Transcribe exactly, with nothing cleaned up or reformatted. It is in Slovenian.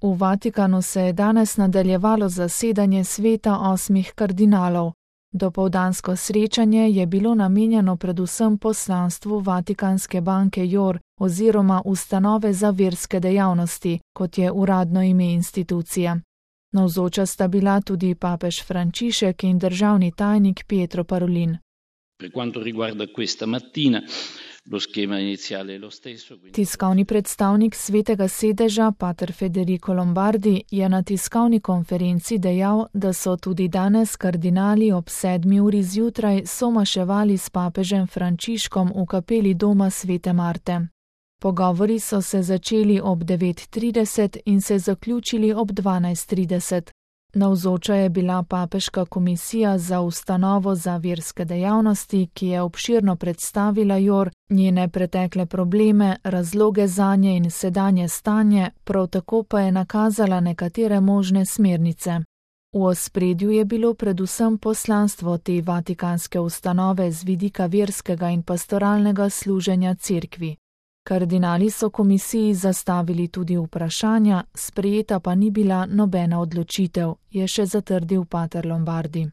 V Vatikanu se je danes nadaljevalo zasedanje sveta osmih kardinalov. Dopoldansko srečanje je bilo namenjeno predvsem poslanstvu Vatikanske banke I O R oziroma Ustanove za verske dejavnosti, kot je uradno ime institucije. Navzoča sta bila tudi papež Frančišek in državni tajnik Pietro Parolin. Per quanto riguarda questa mattina, lo schema iniziale è lo stesso. Tiskovni predstavnik Svetega sedeža, pater Federico Lombardi, je na tiskovni konferenci dejal, da so tudi danes kardinali ob sedmi uri zjutraj somaševali s papežem Frančiškom v kapeli doma Svete Marte. Pogovori so se začeli ob devet trideset in se zaključili ob dvanajst trideset. Navzoča je bila papeška komisija za ustanovo za verske dejavnosti, ki je obširno predstavila I O R, njene pretekle probleme, razloge zanje in sedanje stanje, prav tako pa je nakazala nekatere možne smernice. V ospredju je bilo predvsem poslanstvo te vatikanske ustanove z vidika verskega in pastoralnega služenja cerkvi. Kardinali so komisiji zastavili tudi vprašanja, sprejeta pa ni bila nobena odločitev, je še zatrdil pater Lombardi.